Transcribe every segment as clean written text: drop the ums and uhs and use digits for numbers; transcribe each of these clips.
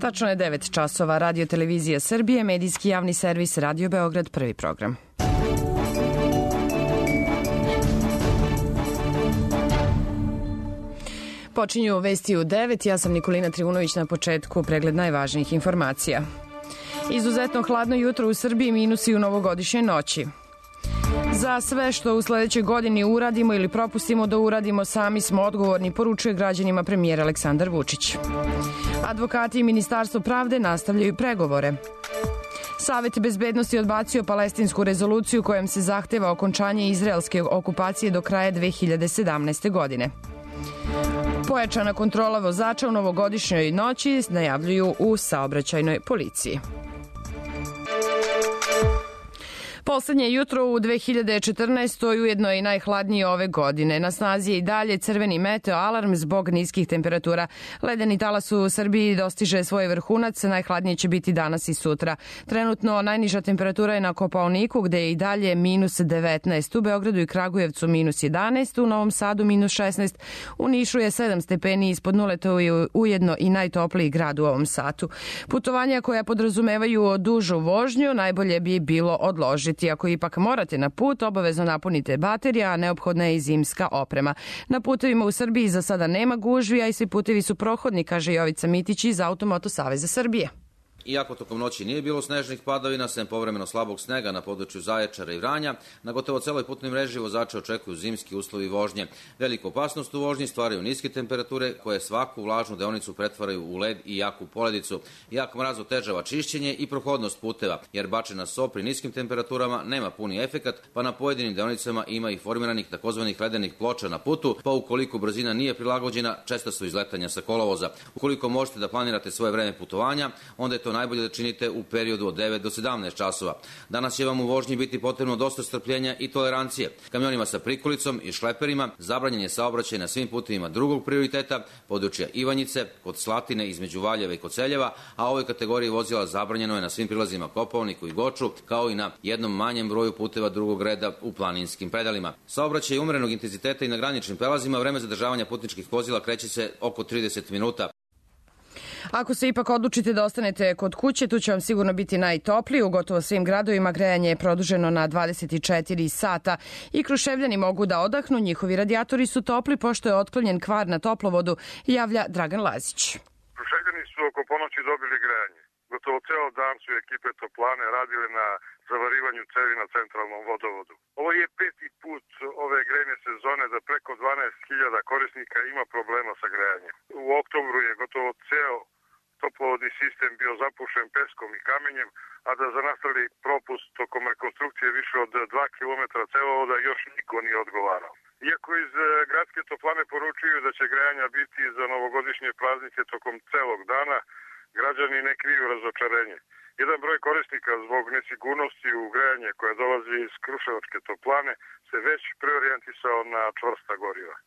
Tačno je 9 časova. Radio Televizija Srbije, medijski javni servis Radio Beograd, prvi program. Počinju vesti u 9. Ja sam Nikolina Trivunović, na početku pregled najvažnijih informacija. Izuzetno hladno jutro u Srbiji, minusi u novogodišnjoj noći. Za sve što u sledećoj godini uradimo ili propustimo da uradimo, sami smo odgovorni, poručuje građanima premijer Aleksandar Vučić. Advokati i Ministarstvo pravde nastavljaju pregovore. Savet bezbednosti odbacio palestinsku rezoluciju kojom se zahteva okončanje izraelske okupacije do kraja 2017. godine. Pojačana kontrola vozača u novogodišnjoj noći najavljuju u saobraćajnoj policiji. Poslednje jutro u 2014. ujedno je i najhladnije ove godine. Na snazi je i dalje crveni meteo alarm zbog niskih temperatura. Ledeni talas u Srbiji dostiže svoj vrhunac, najhladnije će biti danas i sutra. Trenutno najniža temperatura je na Kopaoniku, gde je i dalje minus 19. U Beogradu i Kragujevcu minus 11, u Novom Sadu minus 16, u Nišu je 7 stepeni ispod nule, to je ujedno i najtopliji grad u ovom satu. Putovanja koja podrazumevaju dužu vožnju najbolje bi bilo odložiti. Ako ipak morate na put, obavezno napunite baterija, a neophodna je i zimska oprema. Na putevima u Srbiji za sada nema gužvi, a i svi putevi su prohodni, kaže Jovica Mitić iz Automoto Saveza Srbije. Iako tokom noći nije bilo snežnih padavina, sem povremeno slabog snega na području Zaječara i Vranja, na gotovo celoj putnoj mreži vozače očekuju zimski uslovi vožnje. Veliku opasnost u vožnji stvaraju niske temperature koje svaku vlažnu deonicu pretvaraju u led i jaku poledicu. Jak mraz otežava čišćenje i prohodnost puteva, jer bačena so pri niskim temperaturama nema puni efekat, pa na pojedinim deonicama ima i formiranih takozvanih ledenih ploča na putu, pa ukoliko brzina nije prilagođena, česta su izletanja sa kolovoza. Ukoliko možete da planirate svoje vreme putovanja, onda je to najbolje da činite u periodu od 9 do 17 časova. Danas će vam u vožnji biti potrebno dosta strpljenja i tolerancije. Kamionima sa prikolicom i šleperima zabranjen je saobraćaj na svim putevima drugog prioriteta, područja Ivanjice, kod Slatine, između Valjeva i Koceljeva, a ovoj kategoriji vozila zabranjeno je na svim prilazima Kopaoniku i Goču, kao i na jednom manjem broju puteva drugog reda u planinskim predalima. Saobraćaj umerenog intenziteta i na graničnim prelazima, vreme zadržavanja putničkih vozila kreće se oko 30 minuta. Ako se ipak odlučite da ostanete kod kuće, tu će vam sigurno biti najtoplije. U gotovo svim gradovima grejanje je produženo na 24 sata i Kruševljani mogu da odahnu. Njihovi radijatori su topli pošto je otklonjen kvar na toplovodu, javlja Dragan Lazić. Kruševljani su oko ponoći dobili grejanje. Gotovo ceo dan su ekipe toplane radile na zavarivanju cevi na centralnom vodovodu. Ovo je 5. put ove grejne sezone da preko 12.000 korisnika ima problema sa grejanjem. U oktobru je gotovo ceo toplovodni sistem bio zapušen peskom i kamenjem, a da za nastali propust tokom rekonstrukcije više od 2 km cevovoda još niko nije odgovarao. Iako iz gradske toplane poručuju da će grejanja biti za novogodišnje praznike tokom celog dana, građani ne kriju razočarenje. Jedan broj korisnika zbog nesigurnosti u grejanje koje dolazi iz Kruševačke toplane se već preorijentisao na čvrsta goriva.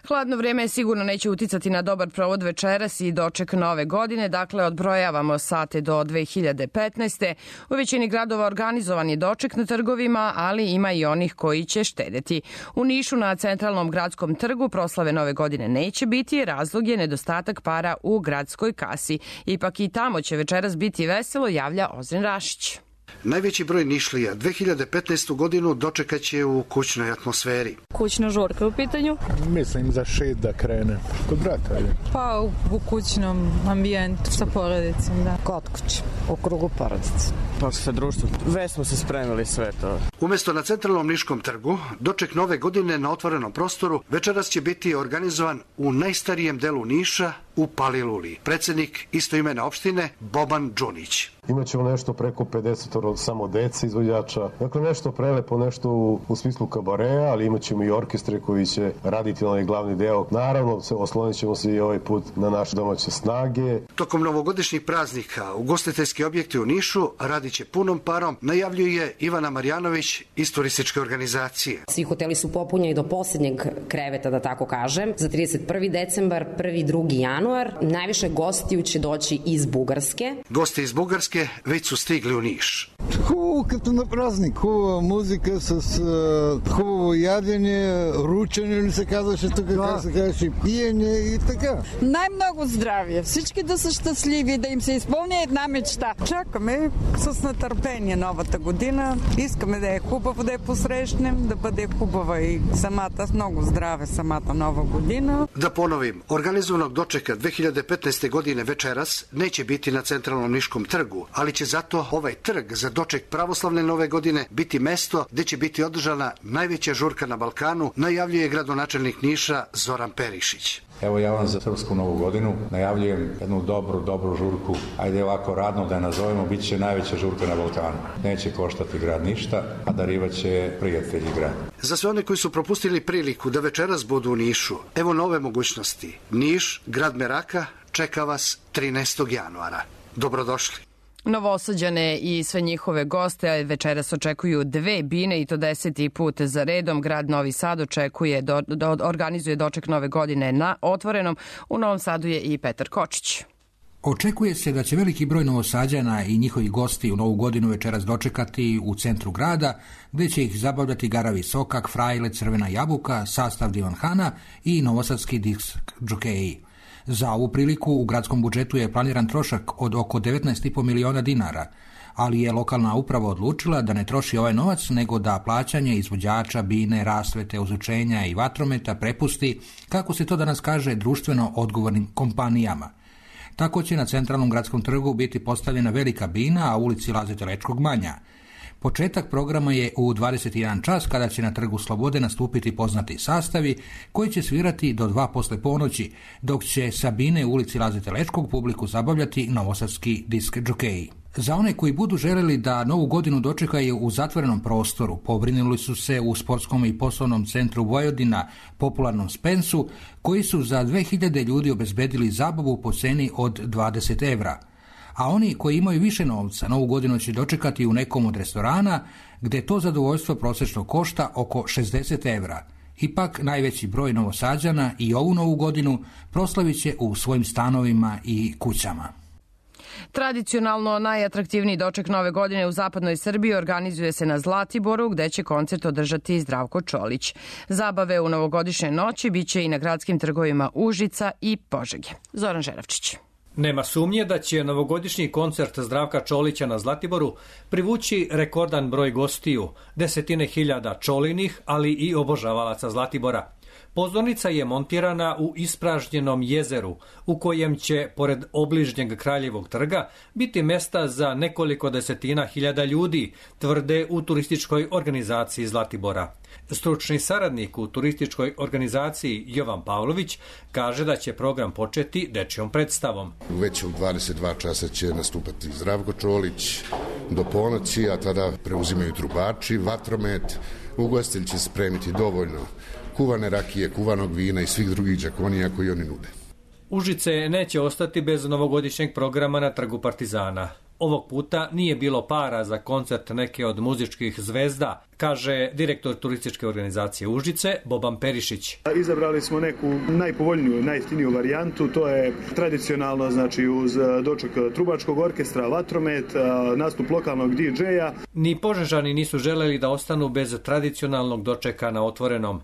Hladno vreme sigurno neće uticati na dobar provod večeras i doček nove godine, dakle odbrojavamo sate do 2015. U većini gradova organizovan je doček na trgovima, ali ima i onih koji će štedeti. U Nišu na centralnom gradskom trgu proslave nove godine neće biti, razlog je nedostatak para u gradskoj kasi. Ipak i tamo će večeras biti veselo, javlja Ozren Rašić. Najveći broj Nišlija 2015. godinu dočekaće u kućnoj atmosferi. Kućna žurka u pitanju? Mislim za 6 da krene. Kod brata je. Pa u kućnom ambijentu sa porodicom, da. Kod kuće, u krugu porodice. Pa sa društvom. Već smo se spremili sve to. Umesto na centralnom Niškom trgu, doček nove godine na otvorenom prostoru večeras će biti organizovan u najstarijem delu Niša, u Paliluli. Predsednik istoimene opštine Boban Đunić. Imaćemo nešto preko 50 samo dece izvođača. Dakle, nešto prelepo, nešto u smislu kabareja, ali imaćemo i orkestre koji će raditi onaj glavni deo. Naravno, oslonit ćemo se i ovaj put na naše domaće snage. Tokom novogodišnjih praznika ugostiteljski objekti u Nišu radit će punom parom, najavljuje Ivana Marjanović iz turističke organizacije. Svi hoteli su popunjeni do poslednjeg kreveta, da tako kažem, za 31. decembar, 1. 2. januar. Najviše gostiju će doći iz Bugarske. Gosti iz Bugarske već su stigli u Niš. Хубаво като на празник, хубава музика с хубаво ядене, ручене ли се казваше тук, как се казваше, пиене и така. Най-много здравие, всички да са щастливи, да им се изпълня една мечта. Чакаме с нетърпение новата година, искаме да е хубаво да я посрещнем, да бъде хубава и самата, много здраве самата nova godina. Da ponovim, organizovanog dočeka 2015. godine večeras neće biti na centralnom Niškom trgu, ali će zato ovaj trg za doček pravoslavne nove godine biti mesto gde će biti održana najveća žurka na Balkanu, najavljuje gradonačelnik Niša Zoran Perišić. Evo ja vam za Srpsku novu godinu najavljujem jednu dobru žurku, ajde ovako radno da je nazovemo, bit će najveća žurka na Balkanu. Neće koštati grad ništa, a darivaće prijatelji grad. Za sve one koji su propustili priliku da večeras budu u Nišu, evo nove mogućnosti. Niš, grad meraka, čeka vas 13. januara. Dobrodošli. Novosađane i sve njihove goste večeras očekuju 2 bine i to 10. put za redom. Grad Novi Sad organizuje doček nove godine na otvorenom. U Novom Sadu je i Petar Kočić. Očekuje se da će veliki broj Novosađana i njihovi gosti u Novu godinu večeras dočekati u centru grada, gde će ih zabavljati Garavi Sokak, Frajle, Crvena jabuka, sastav Divan Hana i novosadski disk džokeji. Za ovu priliku u gradskom budžetu je planiran trošak od oko 19,5 miliona dinara, ali je lokalna uprava odlučila da ne troši ovaj novac, nego da plaćanje izvođača, bine, rasvete, ozvučenja i vatrometa prepusti, kako se to danas kaže, društveno odgovornim kompanijama. Tako će na centralnom gradskom trgu biti postavljena velika bina, a u ulici Laze Telečkog manja. Početak programa je u 21 čas, kada će na Trgu Slobode nastupiti poznati sastavi koji će svirati do 2 posle ponoći, dok će sa bine u ulici Laze Telečkog publiku zabavljati novosadski disk džokeji. Za one koji budu želeli da Novu godinu dočekaju u zatvorenom prostoru, pobrinuli su se u Sportskom i poslovnom centru Vojvodina, popularnom Spensu, koji su za 2000 ljudi obezbedili zabavu po ceni od 20 evra. A oni koji imaju više novca Novu godinu će dočekati u nekom od restorana, gde to zadovoljstvo prosečno košta oko 60 evra. Ipak najveći broj Novosađana i ovu Novu godinu proslavit će u svojim stanovima i kućama. Tradicionalno najatraktivniji doček nove godine u zapadnoj Srbiji organizuje se na Zlatiboru, gde će koncert održati Zdravko Čolić. Zabave u novogodišnjoj noći biće i na gradskim trgovima Užica i Požege. Zoran Žeravčić. Nema sumnje da će novogodišnji koncert Zdravka Čolića na Zlatiboru privući rekordan broj gostiju, desetine hiljada čolinih, ali i obožavalaca Zlatibora. Pozornica je montirana u ispražnjenom jezeru, u kojem će, pored obližnjeg Kraljevog trga, biti mesta za nekoliko desetina hiljada ljudi, tvrde u turističkoj organizaciji Zlatibora. Stručni saradnik u turističkoj organizaciji Jovan Pavlović kaže da će program početi dečjom predstavom. Već u 22 časa će nastupati Zdravko Čolić do ponoći, a tada preuzimaju trubači, vatromet. Ugostitelj će spremiti dovoljno kuvane rakije, kuvanog vina i svih drugih đakonija koji oni nude. Užice neće ostati bez novogodišnjeg programa na Trgu Partizana. Ovog puta nije bilo para za koncert neke od muzičkih zvezda, kaže direktor turističke organizacije Užice, Boban Perišić. Izabrali smo neku najpovoljniju, najjeftiniju varijantu, to je tradicionalno, znači uz doček trubačkog orkestra, vatromet, nastup lokalnog DJ-a. Ni Požežani nisu želeli da ostanu bez tradicionalnog dočeka na otvorenom.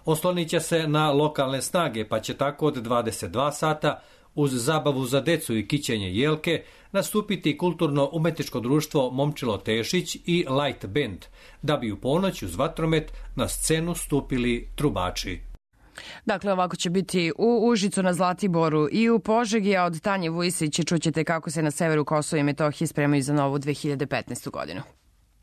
Oslonit će se na lokalne snage, pa će tako od 22 sata uz zabavu za decu i kićenje jelke nastupiti kulturno-umetničko društvo Momčilo Tešić i Light Band, da bi u ponoć uz vatromet na scenu stupili trubači. Dakle, ovako će biti u Užicu, na Zlatiboru i u Požegi, a od Tanje Vujsić čućete kako se na severu Kosova i Metohije spremaju za novu 2015. godinu.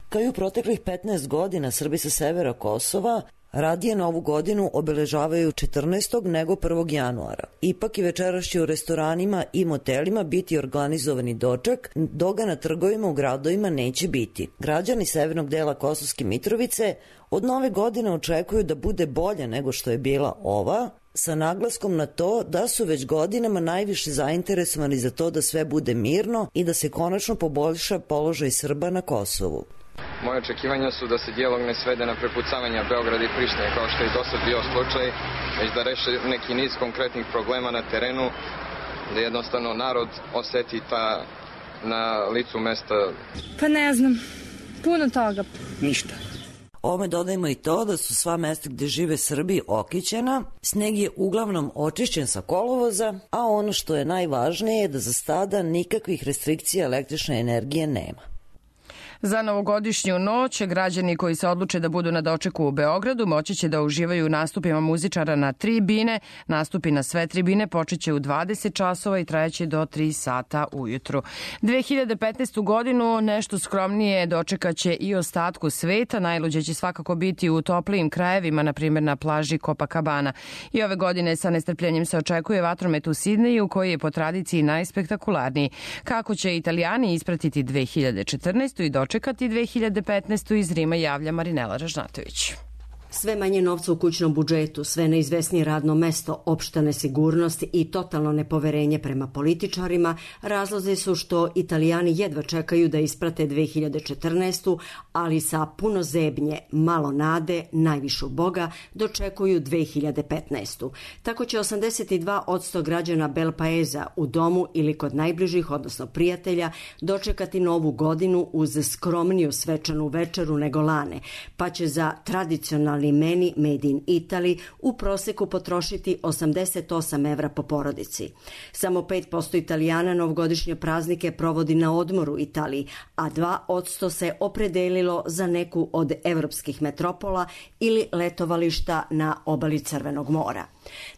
Kao i u proteklih 15 godina, Srbi sa severa Kosova radije Novu godinu obeležavaju 14. nego 1. januara. Ipak i večeras će u restoranima i motelima biti organizovani doček, dok ga na trgovima u gradovima neće biti. Građani severnog dela Kosovske Mitrovice od Nove godine očekuju da bude bolje nego što je bila ova, sa naglaskom na to da su već godinama najviše zainteresovani za to da sve bude mirno i da se konačno poboljša položaj Srba na Kosovu. Moje očekivanja su da se dijalog ne svede na prepucavanja Beograda i Prištine, kao što je do sad bio slučaj, već da reše neki niz konkretnih problema na terenu, da jednostavno narod oseti na licu mesta? Pa ne znam, puno toga. Ništa. Ovome dodajemo i to da su sva mesta gde žive Srbi okićena, sneg je uglavnom očišćen sa kolovoza, a ono što je najvažnije je da za sada nikakvih restrikcija električne energije nema. Za novogodišnju noć građani koji se odluče da budu na dočeku u Beogradu moći će da uživaju u nastupima muzičara na tribine. Nastupi na sve tribine počeće u 20 časova i trajeće do 3 sata ujutru. 2015. godinu nešto skromnije dočekaće i ostatku sveta. Najluđe će svakako biti u toplijim krajevima, na primjer na plaži Copacabana. I ove godine sa nestrpljenjem se očekuje vatromet u Sidneju, koji je po tradiciji najspektakularniji. Kako će Italijani ispratiti 2014. i dočekati 2015. iz Rima javlja Marinela Ražnatović. Sve manje novca u kućnom budžetu, sve neizvesnije radno mesto, opšta nesigurnost i totalno nepoverenje prema političarima razlozi su što Italijani jedva čekaju da isprate 2014. ali sa puno zebnje, malo nade, najvišu Boga dočekuju 2015. Tako će 82% građana Belpaeza u domu ili kod najbližih, odnosno prijatelja, dočekati novu godinu uz skromniju svečanu večeru nego lane, pa će za tradicionalni meni Made in Italy u proseku potrošiti 88 evra po porodici. Samo 5% Italijana novogodišnje praznike provodi na odmoru u Italiji, a 2% se opredelilo za neku od evropskih metropola ili letovališta na obali Crvenog mora.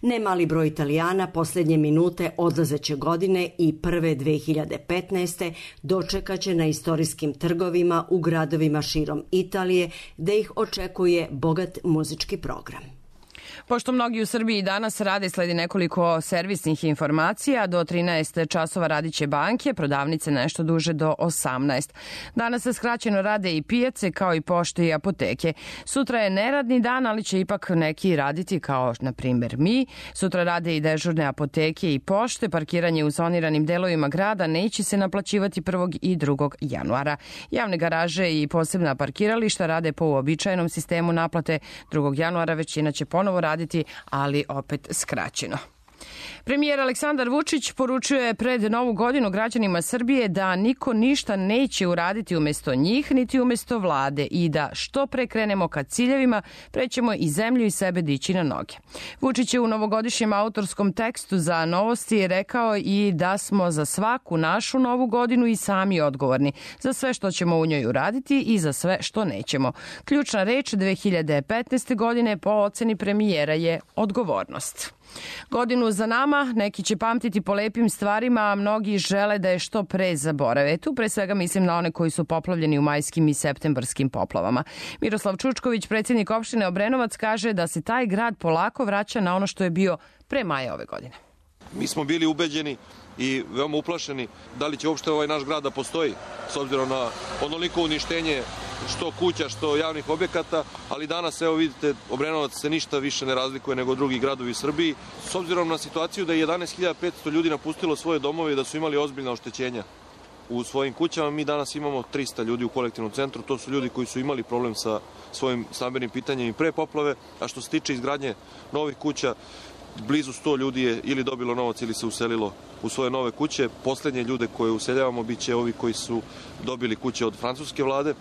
Nemali broj Italijana posljednje minute odlazeće godine i prve 2015. dočekaće na istorijskim trgovima u gradovima širom Italije, gde ih očekuje bogat muzički program. Pošto mnogi u Srbiji danas rade, sledi nekoliko servisnih informacija. Do 13 časova radit će banke, prodavnice nešto duže do 18. Danas se skraćeno rade i pijace, kao i pošte i apoteke. Sutra je neradni dan, ali će ipak neki raditi, kao na primjer mi. Sutra rade i dežurne apoteke i pošte. Parkiranje u zoniranim delovima grada neće se naplaćivati 1. i 2. januara. Javne garaže i posebna parkirališta rade po uobičajenom sistemu naplate. 2. januara većina će ponovo raditi, ali opet skraćeno. Premijer Aleksandar Vučić poručuje pred Novu godinu građanima Srbije da niko ništa neće uraditi umesto njih, niti umesto vlade i da što pre krenemo ka ciljevima, prećemo i zemlju i sebe dići na noge. Vučić je u novogodišnjem autorskom tekstu za Novosti rekao i da smo za svaku našu Novu godinu i sami odgovorni za sve što ćemo u njoj uraditi i za sve što nećemo. Ključna reč 2015. godine po oceni premijera je odgovornost. Godinu za nama neki će pamtiti po lepim stvarima, a mnogi žele da je što pre zaborave. Tu pre svega mislim na one koji su poplavljeni u majskim i septembarskim poplavama. Miroslav Čučković, predsjednik opštine Obrenovac, kaže da se taj grad polako vraća na ono što je bio pre maja ove godine. Mi smo bili ubeđeni i veoma uplašeni da li će uopšte ovaj naš grad da postoji, s obzirom na onoliko uništenje što kuća, što javnih objekata, ali danas, evo vidite, Obrenovac se ništa više ne razlikuje nego drugi gradovi u Srbiji. S obzirom na situaciju da je 11.500 ljudi napustilo svoje domove i da su imali ozbiljna oštećenja u svojim kućama, mi danas imamo 300 ljudi u kolektivnom centru. To su ljudi koji su imali problem sa svojim stambenim pitanjem i pre poplave, a što se tiče izgradnje novih kuća, blizu 100 ljudi je ili dobilo novac ili se uselilo u svoje nove kuće. Poslednje ljude koje useljavamo bit će ovi koji su dobili kuće od francuske vlade.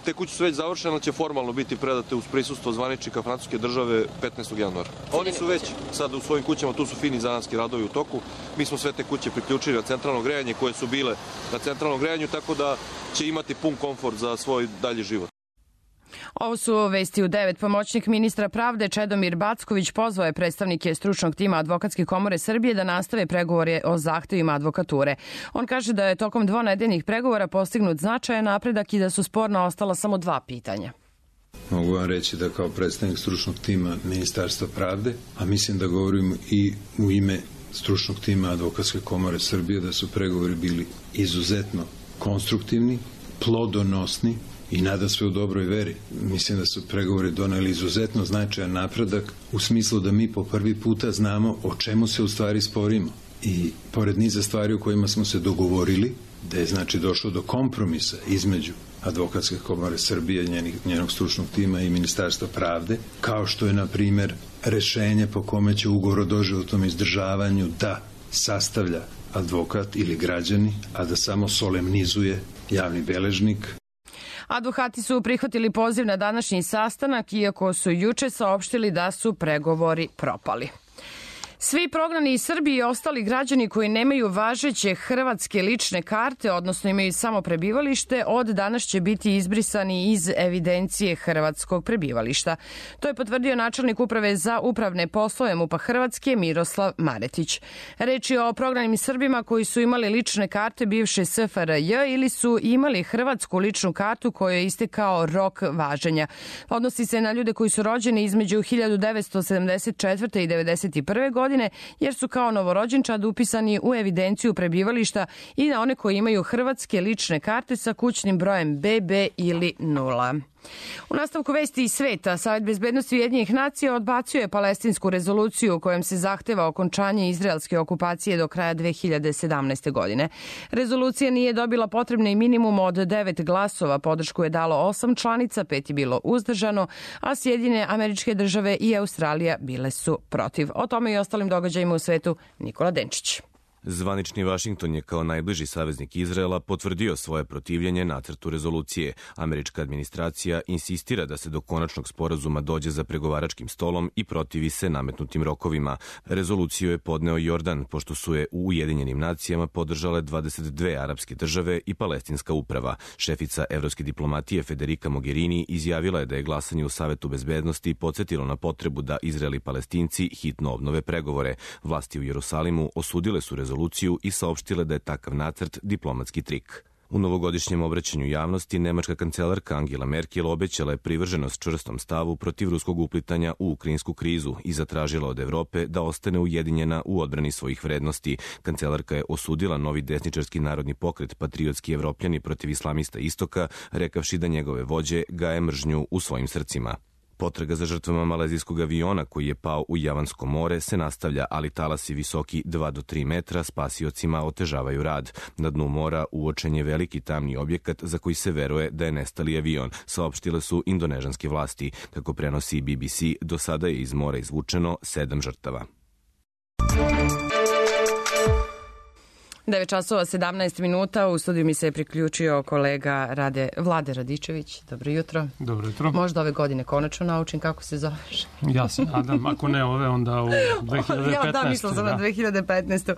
Te kuće su već završene, ali će formalno biti predate uz prisustvo zvaničnika francuske države 15. januara. Oni su već sad u svojim kućama, tu su fini zanatski radovi u toku. Mi smo sve te kuće priključili na centralno grejanje koje su bile na centralnom grejanju, tako da će imati pun komfort za svoj dalji život. Ovo su vesti u 9. Pomoćnik ministra pravde Čedomir Backović pozvao je predstavnike stručnog tima Advokatske komore Srbije da nastave pregovore o zahtevima advokature. On kaže da je tokom dvonedeljnih pregovora postignut značajan napredak i da su sporna ostala samo 2 pitanja. Mogu vam reći da kao predstavnik stručnog tima Ministarstva pravde, a mislim da govorim i u ime stručnog tima Advokatske komore Srbije, da su pregovori bili izuzetno konstruktivni, plodonosni i nada sve u dobroj veri. Mislim da su pregovori doneli izuzetno značajan napredak u smislu da mi po prvi puta znamo o čemu se u stvari sporimo. I pored niza stvari u kojima smo se dogovorili, da je znači došlo do kompromisa između Advokatske komore Srbije, njenog stručnog tima i Ministarstva pravde, kao što je, na primer, rešenje po kome će ugovor o doživotnom izdržavanju da sastavlja advokat ili građani, a da samo solemnizuje javni beležnik. Advokati su prihvatili poziv na današnji sastanak, iako su juče saopštili da su pregovori propali. Svi prognani iz Srbije i ostali građani koji nemaju važeće hrvatske lične karte, odnosno imaju samo prebivalište, od danas će biti izbrisani iz evidencije hrvatskog prebivališta. To je potvrdio načelnik Uprave za upravne poslove MUP-a Hrvatske Miroslav Maretić. Reč je o prognanim Srbima koji su imali lične karte bivše SFRJ ili su imali hrvatsku ličnu kartu kojoj je istekao rok važenja. Odnosi se na ljude koji su rođeni između 1974. i 1991. godine, jer su kao novorođenčad upisani u evidenciju prebivališta, i na one koji imaju hrvatske lične karte sa kućnim brojem BB ili 0. U nastavku vesti iz sveta, Savet bezbednosti Ujedinjenih nacija odbacio je palestinsku rezoluciju u kojem se zahteva okončanje izraelske okupacije do kraja 2017. godine. Rezolucija nije dobila potrebni minimum od 9 glasova, podršku je dalo 8 članica, 5 je bilo uzdržano, a Sjedinjene Američke Države i Australija bile su protiv. O tome i ostalim događajima u svetu Nikola Denčić. Zvanični Vašington je kao najbliži saveznik Izraela potvrdio svoje protivljenje nacrtu rezolucije. Američka administracija insistira da se do konačnog sporazuma dođe za pregovaračkim stolom i protivi se nametnutim rokovima. Rezoluciju je podneo Jordan, pošto su je u Ujedinjenim nacijama podržale 22 arapske države i palestinska uprava. Šefica evropske diplomatije Federica Mogherini izjavila je da je glasanje u Savetu bezbednosti podsjetilo na potrebu da Izrael i Palestinci hitno obnove pregovore. Vlasti u Jerusalimu osudile su rezoluciju i saopštile da je takav nacrt diplomatski trik. U novogodišnjem obraćanju javnosti nemačka kancelarka Angela Merkel obećala je privrženost čvrstom stavu protiv ruskog uplitanja u ukrajinsku krizu i zatražila od Evrope da ostane ujedinjena u odbrani svojih vrednosti. Kancelarka je osudila novi desničarski narodni pokret Patriotski Evropljani protiv islamista istoka, rekavši da njegove vođe gaje mržnju u svojim srcima. Potraga za žrtvama malezijskog aviona koji je pao u Javansko more se nastavlja, ali talasi visoki 2 do 3 metra spasiocima otežavaju rad. Na dnu mora uočen je veliki tamni objekat za koji se veruje da je nestali avion, saopštile su indonežanske vlasti. Kako prenosi BBC, do sada je iz mora izvučeno 7 žrtava. 9 časova 17 minuta, u studiju mi se je priključio kolega Vlade Radičević. Dobro jutro. Dobro jutro. Možda ove godine konačno naučim kako se zoveš. Ja se nadam, ako ne ove, onda u 2015. Ja da, mislila sam na 2015.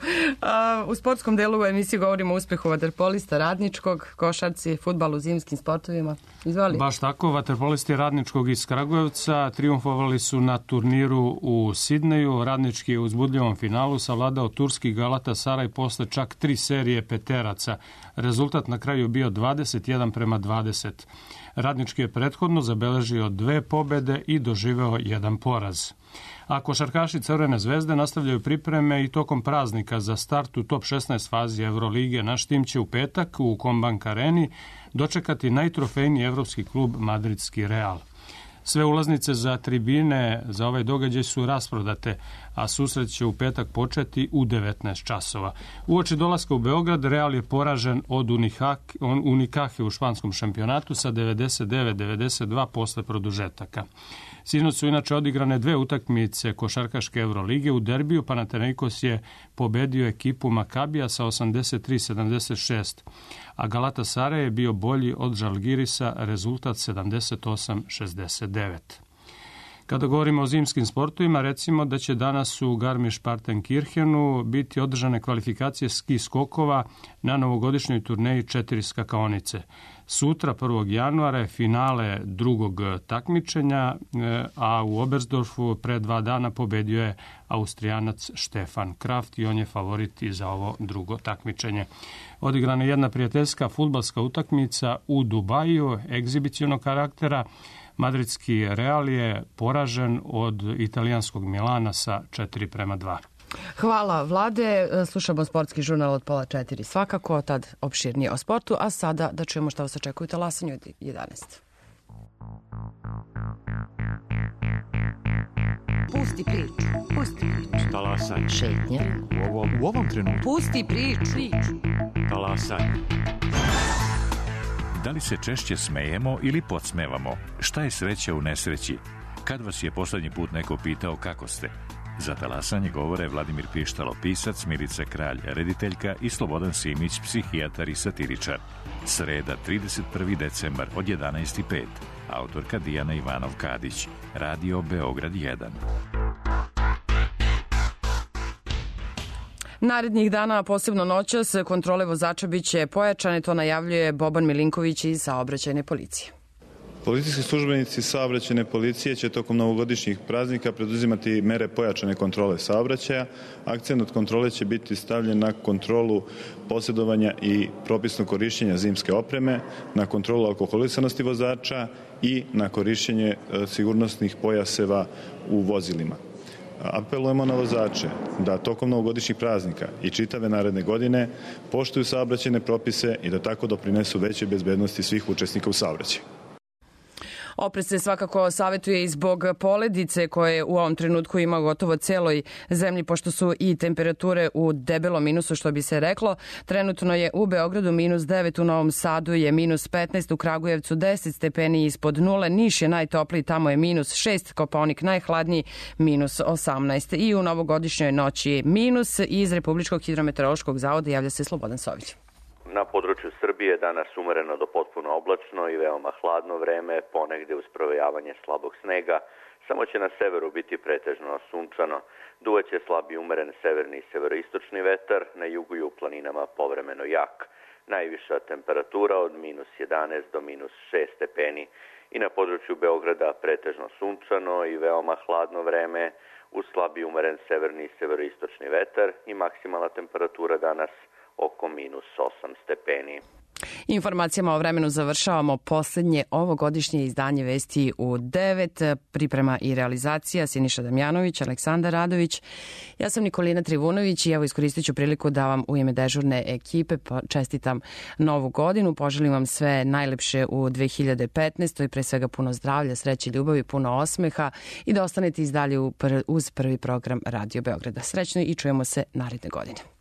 U sportskom delu u emisiji govorimo o uspehu vaterpolista Radničkog, košarci, fudbalu, zimskim sportovima. Izvoli. Baš tako, vaterpolisti Radničkog iz Kragujevca triumfovali su na turniru u Sidneju. Radnički je u uzbudljivom finalu savladao turski Galatasaray posle čak 3 serije peteraca. Rezultat na kraju bio 21-20. Radnički je prethodno zabeležio 2 pobede i doživeo 1 poraz. A košarkaši Crvene zvezde nastavljaju pripreme i tokom praznika za start u top 16 fazi Evrolige. Naš tim će u petak u Kombank Areni dočekati najtrofejniji evropski klub Madridski Real. Sve ulaznice za tribine za ovaj događaj su rasprodate, a susret će u petak početi u 19 časova. Uoči dolaska u Beograd, Real je poražen od Unikahe u španskom šampionatu sa 99-92 posle produžetaka. Sinoć su inače odigrane 2 utakmice košarkaške Evrolige. U derbiju Panathinaikos je pobedio ekipu Makabija sa 83-76, a Galatasaray je bio bolji od Žalgirisa, rezultat 78-69. Kada govorimo o zimskim sportovima, recimo da će danas u Garmisch-Partenkirchenu biti održane kvalifikacije ski skokova na novogodišnjoj turneji 4 skakaonice. Sutra, 1. januara, je finale drugog takmičenja, a u Oberstdorfu pre 2 dana pobedio je Austrijanac Stefan Kraft i on je favorit i za ovo drugo takmičenje. Odigrana je jedna prijateljska fudbalska utakmica u Dubaju, egzibicionog karaktera. Madridski Real je poražen od italijanskog Milana sa 4-2. Hvala, Vlade. Slušamo sportski žurnal od 3:30 svakako, tad opširnije o sportu, a sada da čujemo šta vas očekuju talasanju od 11. Pusti priču. Talasanje. Šetnje. U ovom trenutku. Pusti priču. Talasanje. Da li se češće smejemo ili podsmevamo? Šta je sreća u nesreći? Kad vas je poslednji put neko pitao kako ste? Za talasanje govore Vladimir Pištalo, pisac, Milica Kralj, rediteljka i Slobodan Simić, psihijatar i satiričar. Sreda, 31. decembar od 11:05. Autorka Dijana Ivanov-Kadić. Radio Beograd 1. Narednih dana, posebno noćas, kontrole vozača biće pojačane, to najavljuje Boban Milinković iz Saobraćajne policije. Policijski službenici saobraćajne policije će tokom novogodišnjih praznika preduzimati mere pojačane kontrole saobraćaja. Akcent od kontrole će biti stavljen na kontrolu posjedovanja i propisnog korišćenja zimske opreme, na kontrolu alkoholisanosti vozača i na korišćenje sigurnosnih pojaseva u vozilima. Apelujemo na vozače da tokom novogodišnjih praznika i čitave naredne godine poštuju saobraćajne propise i da tako doprinesu većoj bezbednosti svih učesnika u saobraćaju. Oprez se svakako savjetuje i zbog poledice koje u ovom trenutku ima gotovo celoj zemlji, pošto su i temperature u debelom minusu, što bi se reklo. Trenutno je u Beogradu -9, u Novom Sadu je -15, u Kragujevcu 10 stepeni ispod nule, Niš je najtopliji, tamo je -6, Kopaonik najhladniji, -18. I u novogodišnjoj noći je minus. Iz Republičkog hidrometeorološkog zavoda javlja se Slobodan Sović. Na području Srbije danas umereno do potpuno oblačno i veoma hladno vreme, ponegde uz provejavanje slabog snega. Samo će na severu biti pretežno sunčano. Duvaće slab i umeren severni i severoistočni vetar, na jugu i u planinama povremeno jak. Najviša temperatura od -11 do -6 stepeni i na području Beograda pretežno sunčano i veoma hladno vreme, uz slab i umeren severni i severoistočni vetar i maksimalna temperatura danas oko -8 stepeni. Informacijama o vremenu završavamo poslednje ovogodišnje izdanje Vesti u 9. Priprema i realizacija Siniša Damjanović, Aleksandar Radović. Ja sam Nikolina Trivunović i evo iskoristit ću priliku da vam u ime dežurne ekipe čestitam novu godinu. Poželim vam sve najlepše u 2015. Pre svega puno zdravlja, sreće, ljubavi, puno osmeha i da ostanete i dalje uz prvi program Radio Beograda. Srećno i čujemo se naredne godine.